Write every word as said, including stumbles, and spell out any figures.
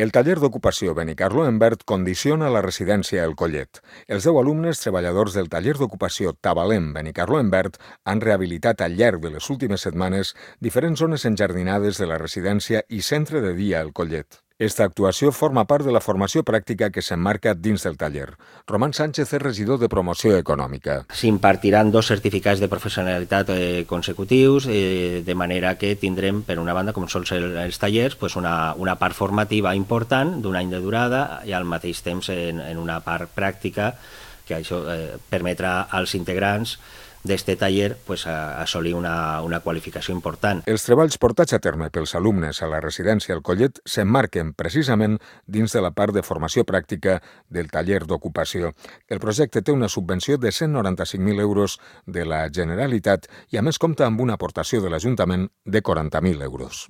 El taller d'ocupació Benicarló en Verd condiciona la residència El Collet. Els deu alumnes treballadors del taller d'ocupació Tabalem Benicarló en Verd han rehabilitat al llarg de les últimes setmanes diferents zones enjardinades de la residència i centre de dia El Collet. Esta actuació forma part de la formació pràctica que s'emmarca dins del taller. Román Sánchez és regidor de Promoció Econòmica. S'impartiran dos certificats de professionalitat eh, consecutius, eh, de manera que tindrem, per una banda, com són els tallers, pues una, una part formativa important d'un any de durada i al mateix temps en, en una part pràctica que això eh, permetrà als integrants d'este taller pues, a assolir una, una qualificació important. Els treballs portats a terme pels alumnes a la residència El Collet s'emmarquen precisament dins de la part de formació pràctica del taller d'ocupació. El projecte té una subvenció de cent noranta-cinc mil euros de la Generalitat i a més compta amb una aportació de l'Ajuntament de quaranta mil euros.